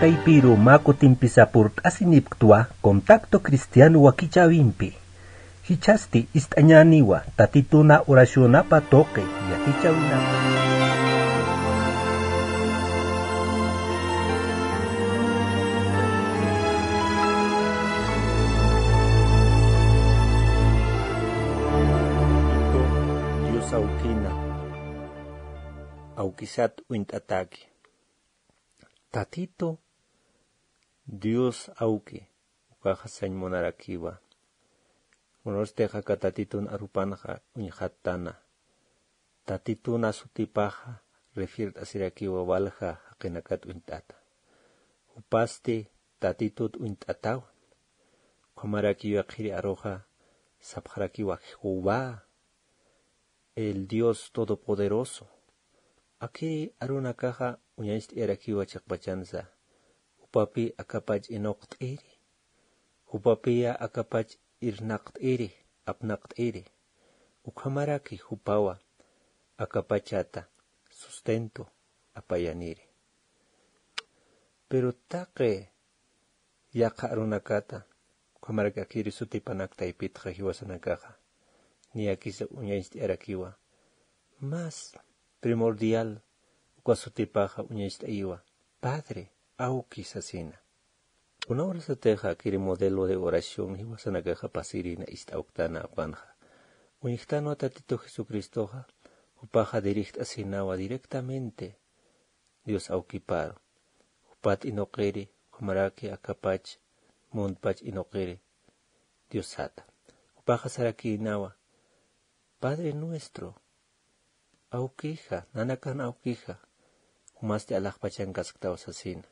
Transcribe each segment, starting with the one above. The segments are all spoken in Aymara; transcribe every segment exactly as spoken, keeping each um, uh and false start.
Taypiru mä kutimpisa purt'asinipktwa Contacto Cristiano wakichäwimpi. Jichhasti ist'añäniwa Tatituna oracionapa tuqi yatichäwinapa. Dios awkina, awkisat uñt'atäki. Tatitu Dios awki, ukaxa sañ munarakiwa. Kunasti aka Tatitun arupanxa uñxattana. Tatituna sutipaxa refiert'asirakiwa walja jaqinakat uñt'ata. Jupasti Tatitut uñt'atawa. Ukhamaraki yaqhiri aruxa sapxarakiwa Jehová, el Dios Todopoderoso. Akiri arunakaxa uñacht'ayarakiwa chiqpachansa. Jupapi akapach inuqt'iri. Jupapiya akapach irnaqt'iri, apnaqt'iri. Ukhamaraki jupawa akapachata sustento apayaniri. Pero taqi yaqha arunakata, ukhamaraki akiri sutipanak taypitxa jiwasanakaxa, niyakisa uñacht'ayarakiwa. Más primordial, uka sutipaxa uñacht'ayiwa, Padre, awki sasina. Kuna urasatixa akiri modelo de oración jiwasanakaxa pasirina ist'awktana apanxa. Uñjtanwa Tatitu Jesucristoxa, jupaxa dirigt'asinawa directamente Dios awkiparu. Jupat inuqiri, ukhamaraki akapach, muntpach inuqiri Diosata. Jupaxa sarakïnawa, Padre nuestro, awkija, nanakan awkija, jumasti alaxpachankasktaw sasina.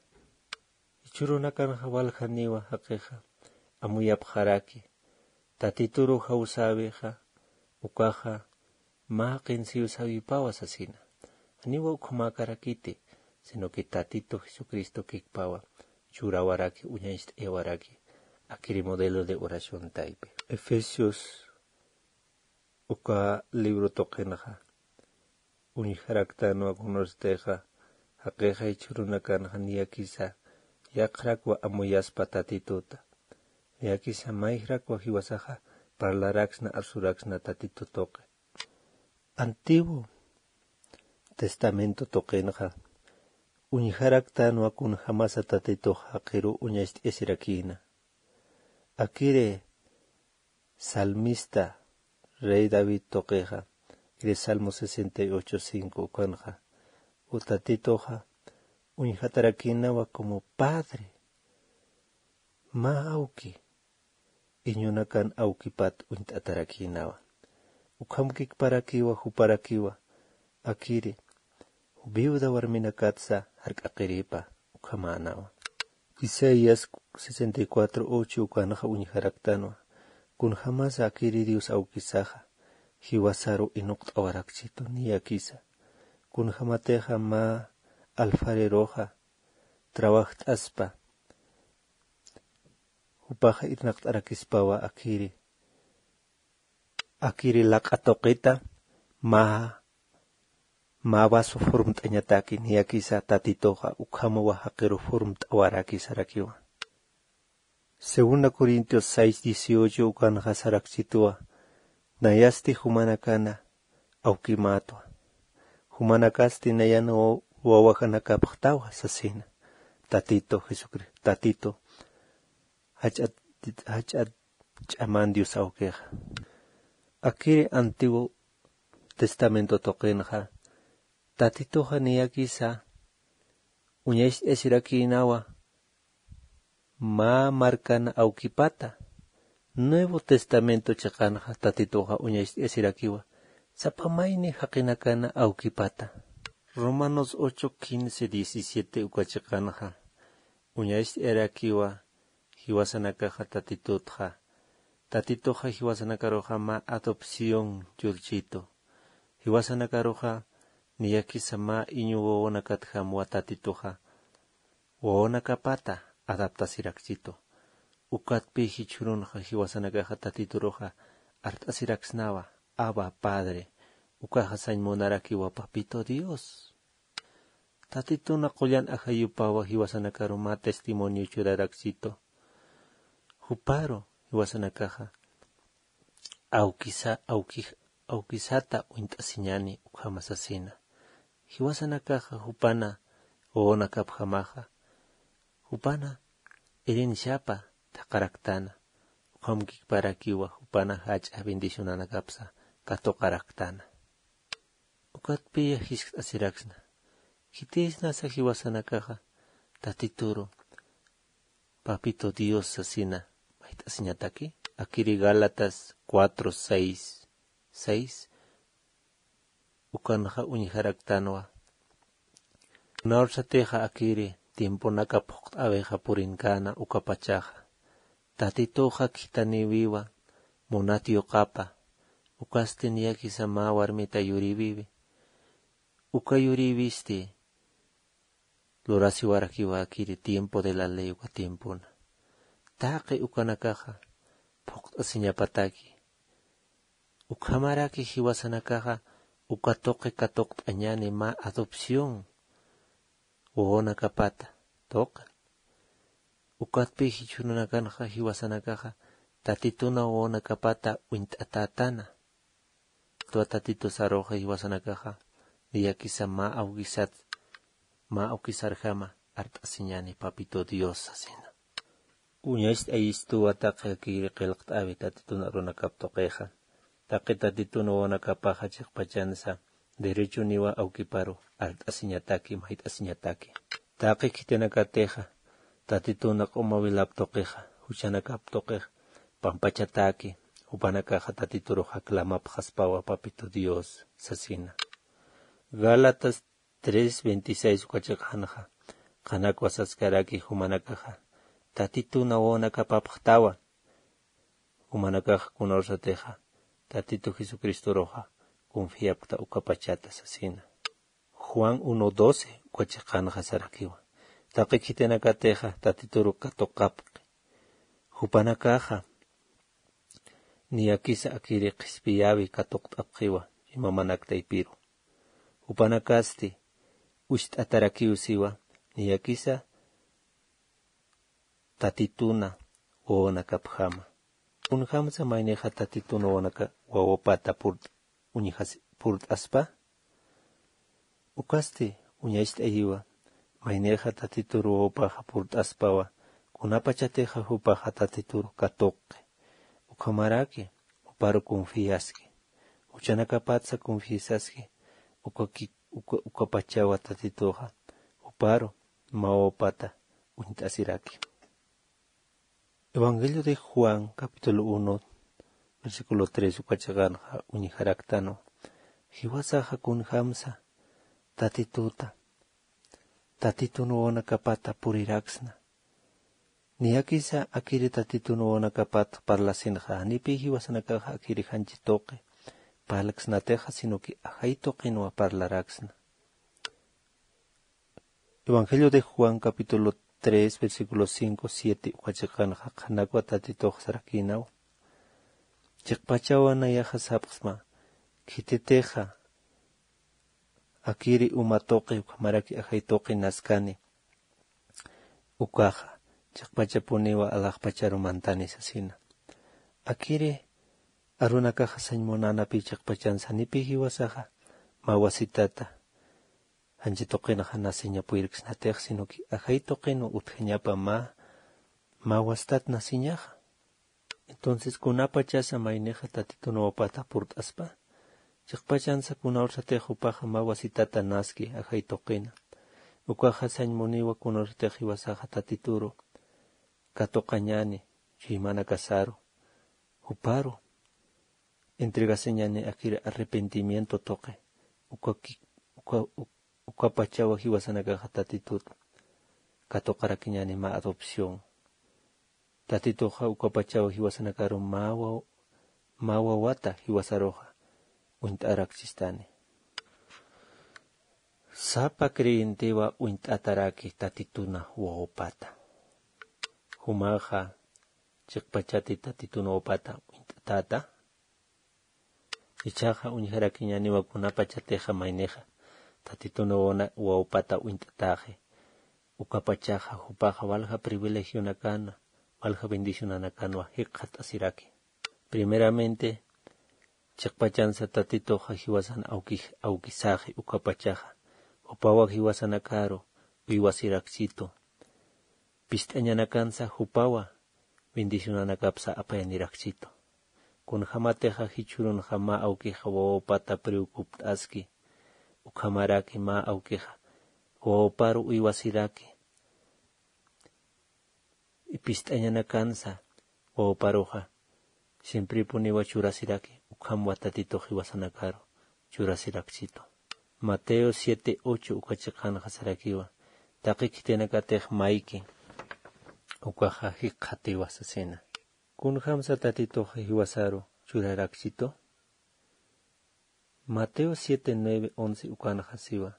Jichhürunakanxa waljaniwa jaqixa amuyapxaraki, Tatituru jawsäwixa, ukaxa mä qinsiwsäwipawa sasina. Janiwa ukhamäkarakiti, sino que Tatitu Jesucristo kikpawa churawaraki, uñacht'ayawaraki, akiri modelo de oración taypi. Efesios uka libro tuqinxa uñjaraktanwa kunurstixa, jaqixa jichhürunakanxa niyakisa yaqharakwa amuyaspa Tatituta. Niyakisa mayjrakwa jiwasaxa parlaraksna, arsuraksna Tatitu tuqi. Antiguo Testamento tuqinxa uñjaraktanwa kunjamasa Tatitux jaqiru uñacht'ayasirakïna. Akiri salmista rey David tuqixa, kiri Salmo sesenta y ocho cinco ukanxa, u Tatituxa uñjatarakïnawa como padre, mä awki, iñunakan awkipat uñt'atarakïnawa. Ukham kikparakiwa, juparakiwa, akiri viuda warminakatsa jark'aqiripa ukhamänawa. Isaías sesenta y cuatro ocho ukanxa uñjaraktanwa, kunjamasa akiri Dios awkisaxa jiwasaru inuqt'awarakchitu niyakisa. Kunjamatixa mä alfareroxa trabajt'aspa, jupaxa irnaqt'arakispawa akiri, akiri laq'a tuqita mä, mä vaso formt'añataki niyakisa Tatituxa ukhamawa jaqiru formt'awaraki sarakiwa. Segunda Corintios seis dieciocho ukanxa sarakchituwa, nayasti jumanakana awkimätwa. Jumanakasti nayan wa-, wawajanakapxtawa sasina. Tatito Jesucristo, Tatito, jach'at, jach'at ch'aman Dios awkixa. Akiri Antiguo Testamento tuqinxa, Tatituxa niyakisa uñacht'ayasirakïnawa mä markan awkipata. Nuevo Testamento chiqanxa Tatituxa uñacht'ayasirakiwa sapa mayni jaqinakana awkipata. Romanos ocho quince, diecisiete uka chiqanxa uñacht'ayarakiwa jiwasanakaxa Tatitutxa. Tatituxa jiwasanakaruxa mä adopción churchitu. Jiwasanakaruxa niyakisa mä iñu wawanakatjamwa Tatituxa wawanakapata adaptasirakchitu. Ukatpï jichhürunxa jiwasanakaxa Tatituruxa art'asiraksnawa, Abba Padre, ukaxa sañ munarakiwa Papito Dios. Tatituna qullan ajayupawa jiwasanakaru mä testimonio churaraksitu. Juparu jiwasanakaxa awkisa awkix awkisata uñt'asiñani ukhama sasina. Jiwasanakaxa jupana wawanakapjamaxa jupana irinchapa thaqaraktana. Ukham kikparakiwa jupana jach'a bendicionanakapsa katuqaraktana. Ukatpiya jiskt'asiraksna. Khitisnasa jiwasanakaxa tatituru papito dios sasina mayt'asiñataki? Akiri gálatas cuatro seis seis ukanxa uñjaraktanwa. Kunawsatixa akiri tiemponaka phuqt'äwixa purinkäna ukapachaxa tatituxa khithanïwiwa munat yuqapa. Ukasti niyakisa mä warmita yurïwiwi. Uka yurïwisti lurasiwarakiwa akiri tiempo de la ley uka tiempona. Taqi ukanakaxa phuqt'asiñapataki. Ukhamaraki jiwasanakaxa uka tuqi katuqt'añani mä adopción wawanakapata tuqi. Ukatpi jichhürunakanxa jiwasanakaxa tatituna wawanakapata uñt'atätana. Twa tatitu saruxa jiwasanakaxa niyakisa mä awkisat mä awkisarjama art'asiñani papito dios sasina. Uñacht'ayistuwa taqi akiri qillqt'äwi tatitun arunakap tuqixa. Taqi tatitun wawanakapaxa chiqpachansa derechoniwa awkiparu art'asiñataki mayt'asiñataki. Taqi khitinakatixa tatituna q'umawilap tuqixa juchanakap tuqix pampachataki. Jupanakaxa tatituruxa clamapxaspawa papito dios sasina. Gálatas tres veintiséis uka chiqanxa qhanakwa saskaraki jumanakaxa tatituna wawanakapapxtawan. Jumanakaxa kunawsatixa tatitu jesucristoruxa confiapkta ukapachata sasina. Juan uno doce uka chiqanxa sarakiwa. Taqi khitinakatixa tatituru katuqapxi. Jupanakaxa niyakisa akiri qhispiyäwi katuqt'apxiwa ima manak taypiru. Jupanakasti ucht'atarakiw siwa niyakisa tatituna wawanakapjama. Kunjamsa maynixa tatituna wawanaka wawapata purt'aspa? Ukasti uñacht'ayiwa maynixa tatituru wawapaxa purt'aspawa kunapachatixa jupaxa tatituru katuqi. Ukhamaraki juparu confiaski. Juchanakapatsa confiasaski. Ukapachawa tatituxa juparu mä wawapata uñt'asiraki. Evangelio de juan capítulo uno versículo tres uka chiqanxa uñjaraktanwa. Jiwasaxa kunjamsa tatituta tatitun wawanakapata puriraksna. Niyakisa akiri tatitun wawanakapat parlasinxa janipï jiwasanakaxa akiri janchi tuqi parlksnatixa sino que ajay tuqinwa parlaraksna. Evangelio de juan capítulo tres versículo cinco siete uka chiqanxa qhanakwa tatitux sarakïnawa. Chiqpachawa nayaxa sapxsma khititixa akiri uma tuqi ukhamaraki ajay tuqi naskani ukaxa chiqpachapuniwa alaxpacharu mantani sasina. Akiri arunakaxa sañ munänapï chiqpachansa janipï jiwasaxa mä wasitata janchi tuqinxa nasiña puyirksnatix sino que ajay tuqinwa utjañapa mä mä wasitat nasiñaxa. Entonces kunapachasa maynixa tatitun wawapata purt'aspa chiqpachansa kunawsatix jupaxa mä wasitata naski ajay tuqina. Ukaxa sañ muniwa kunawsatix jiwasaxa tatituru katuqañani chuymanakasaru juparu entregasiñani akiri arrepentimiento tuqi. Uka ukapachawa jiwasanakaxa tatitut katuqarakiñani mä adopción. Tatituxa ukapachawa jiwasanakaru mä wawata jiwasaruxa uñt'arakchistani. Sapa creyentewa uñt'ataraki tatituna wawapata. Jumaxa chiqpachati tatitun wawapata uñt'atäta? Ichaxa uñjarakiñaniwa kunapachatixa maynixa Tatitun wawana wawpata uñt'ataxi. Ukapachaxa jupaxa walja privilegionakana, walja bendicionanakanwa jikxat'asiraki. Primeramente, chiqpachansa Tatituxa jiwasan awkij awkisaxi ukapachaxa, jupawa jiwasanakaru uywasirakchitu. Pist'añanakansa jupawa bendicionanakapsa apayanirakchitu. Kunjamatixa jichhürunxa mä awkixa wawapata preocupt'aski, ukhamaraki mä awkixa wawaparu uywasiraki, pist'añanakansa wawaparuxa siemprepuniwa churasiraki, ukhamwa Tatitux jiwasanakaru churasirakchitu. Mateo siete ocho uka chiqanxa sarakiwa, taqi khitinakatix mayki ukaxa jikxatiwa sasina. Kunjamsa Tatitux jiwasaru churarakchitu? Mateo siete nueve once ukanxa siwa,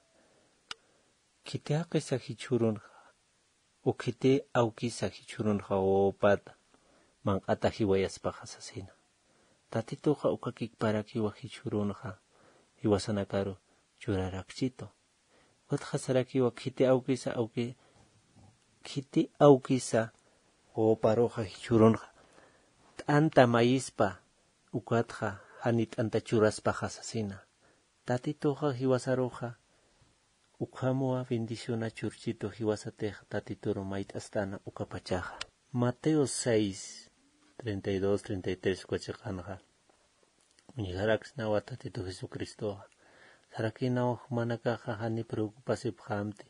khiti jaqisa jichhürunxa, u khiti awkisa jichhürunxa wawapata manq'ata jiwayaspaxa sasina. Tatituxa uka kikparakiwa jichhürunxa jiwasanakaru churarakchitu. Ukatxa sarakiwa khiti awkisa awki, khiti awkisa wawaparuxa jichhürunxa t'anta mayispa, ukatxa jani t'anta churaspaxa sasina. Tatituxa jiwasaruxa ukhamwa bendiciona churchitu jiwasatix Tatituru mayt'astana ukapachaxa. Mateo seis, treinta y dos, treinta y tres uka chiqanxa uñjaraksnawa Tatitu Jesucristoxa. Sarakinawa jumanakaxa jani preocupasipxamti,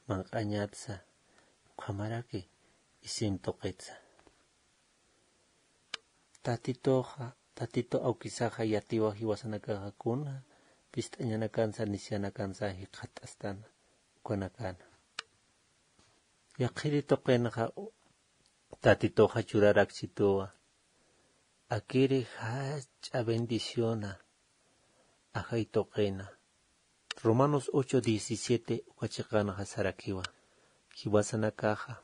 manq'añatsa, ukhamaraki isim tuqitsa. Tatituxa, Tatitu awkisaxa yatiwa jiwasanakaxa kuna pist'añanakansa, nisianakansa jikxat'astana ukanakana. Yaqhiri tuqinxa Tatituxa churarakchituwa, akiri jach'a bendiciona ajay tuqina. Romanos ocho diecisiete uka chiqanxa sarakiwa, jiwasanakaxa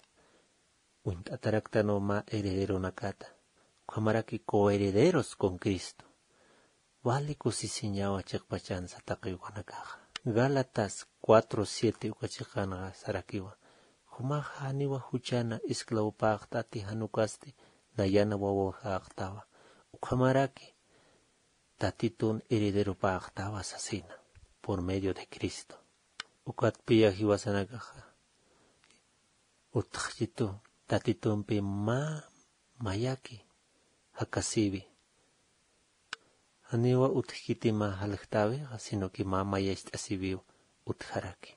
uñt'ataraktanwa mä herederonakata, ukhamaraki coherederos con Cristo. Wali kusisiñawa chiqpachansa taqi ukanakaxa. Gálatas cuatro siete uka chiqanxa sarakiwa, jumaxa janiwa juchana esclavopäxtati, jan ukasti nayana wawaxäxtawa, ukhamaraki Tatitun herederopäxtawa sasina, por medio de Cristo. Ukatpiya jiwasanakaxa utjchitu Tatitumpi mä mayaki jakasiwi. Janiwa utjkiti mä jaljtäwixa, sino que mä mayacht'asiwiw utjaraki.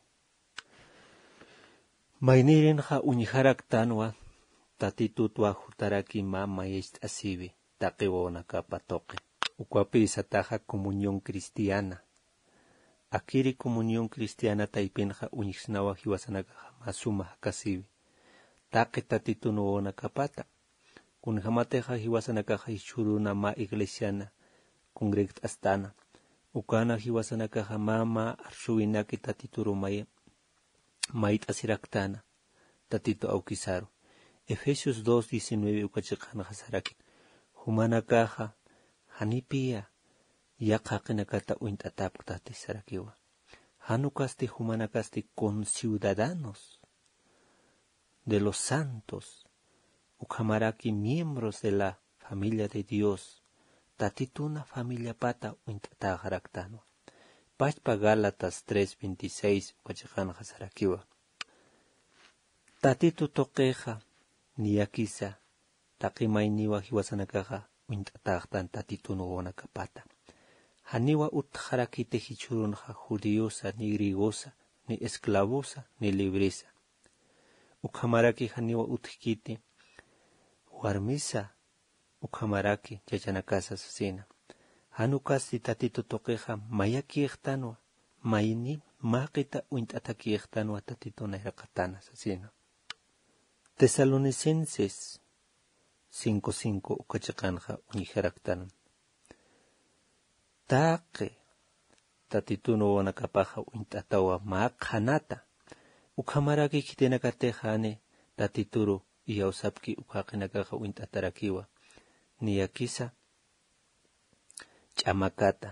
Maynirinxa uñjaraktanwa, Tatitutwa jutaraki mä mayacht'asiwi taqi wawanakapa tuqi. Ukapï sataxa comunión cristiana. Akiri comunión cristiana taypinxa uñjsnawa jiwasanakaxa mä suma jakasiwi taqi Tatitun wawanakapata. Kunjamatixa jiwasanakaxa jichhüruna mä iglesiana congregt'astana, ukana jiwasanakaxa mä mä arsuwinaki Tatituru may mayt'asiraktana Tatitu awkisaru. Efesios dos diecinueve uka chiqanxa saraki, jumanakaxa janipiya yaqha jaqinakata uñt'atäpktati sarakiwa. Jan ukasti jumanakasti conciudadanos de los santos, ukhamaraki miembros de la familia de Dios, Tatituna familiapata uñt'atäxaraktanwa. Pachpa Gálatas tres veintiséis uka chiqanxa sarakiwa, Tatitu tuqixa niyakisa taqi mayniwa jiwasanakaxa uñt'atäxtan Tatitun wawanakapata. Janiwa utjarakiti jichhürunxa judiosa, ni griegosa, ni esclavosa, ni libresa. Ukhamaraki janiwa utjkiti warmisa, ukhamaraki chachanakasa sasina. Jan ukasti Tatitu tuqixa mayakïxtanwa, mayni mä jaqita uñt'atakïxtanwa Tatitun nayraqatana sasina. Tesalonicenses cinco cinco uka chiqanxa uñjaraktan, taqi Tatitun wawanakapaxa uñt'atawa mä qhanata. Ukhamaraki khitinakatix jani Tatituru iyawsapki uka jaqinakaxa uñt'atarakiwa, niyakisa ch'amakata,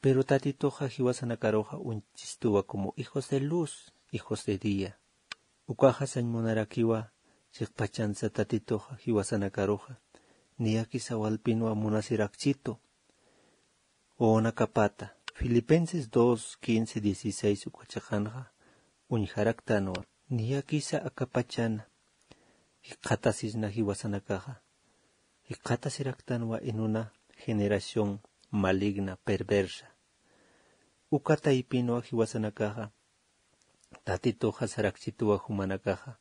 Pero Tatituxa jiwasanakaruxa uñchistuwa como hijos de luz, hijos de día. Ukaxa sañ munarakiwa chiqpachansa Tatituxa jiwasanakaruxa niyakisa walpinwa munasirakchitu wawanakapata. Filipenses dos quince dieciséis uka chiqanxa uñjaraktanwa niyakisa akapachana jikxatasisna jiwasanakaxa jikxatasiraktanwa en una generación maligna, perversa. Uka taypinwa jiwasanakaxa Tatituxa sarakchituwa jumanakaxa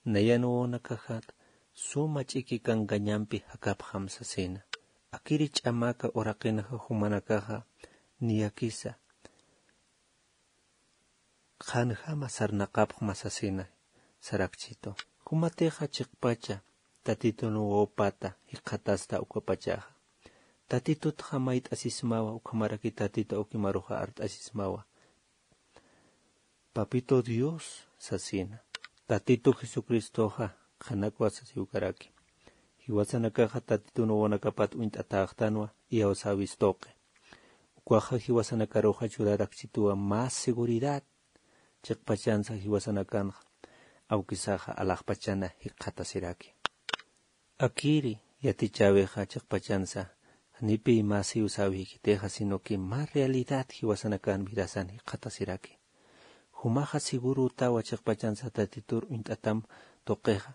nayan wawanakaxat suma ch'iki kankañampi jakapxam sasina. Akiri ch'amaka uraqinxa jumanakaxa niyakisa qhanjama sarnaqapxma sasina sarakchitu. Jumatixa chiqpacha Tatitun wawapata jikxatasta ukapachaxa. Tatitutxa mayt'asismawa, ukhamaraki Tatitu awkimaruxa art'asismawa. Papito Dios sasina. Tatitu Jesucristoxa qhanakwa sasiwkaraki. Jiwasanakaxa Tatitun wawanakapat uñt'atäxtanwa iyawsäwis tuqi. Ukaxa jiwasanakaruxa churarakchituwa más seguridad. Chiqpachansa jiwasanakanxa awkisaxa alaxpachana jikxatasiraki. Akiri yatichäwixa chiqpachansa janipiy mä siwsäwikitixa, sino que mä realidad jiwasanakan vidasan jikxatasiraki. Jumaxa segurutawa chiqpachansa Tatitur uñt'atam tuqixa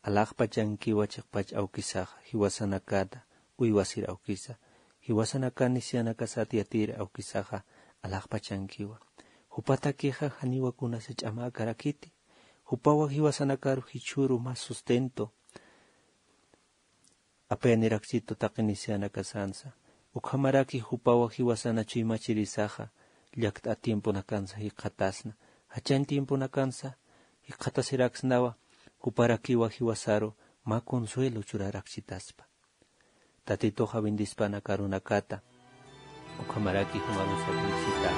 alaxpachankiwa chiqpach awkisaxa jiwasanakata uywasir awkisa, jiwasanakan nisiyanakasat yatir awkisaxa alaxpachankiwa. Jupatakixa janiwa kunasa ch'amäkarakiti. Jupawa jiwasanakaru jichhüru mä sustento apayanirakchitu taqi nisiyanakasansa. Ukhamaraki jupawa jiwasana chuymachirisaxa llakt'at tiemponakansa jikxatasna. Jachañ tiemponakansa jikxatasiraksnawa, juparakiwa jiwasaru mä consuelo churarakchitaspa. Tatituxa bendispanaka arunakata ukhamaraki jumarusa bendisita.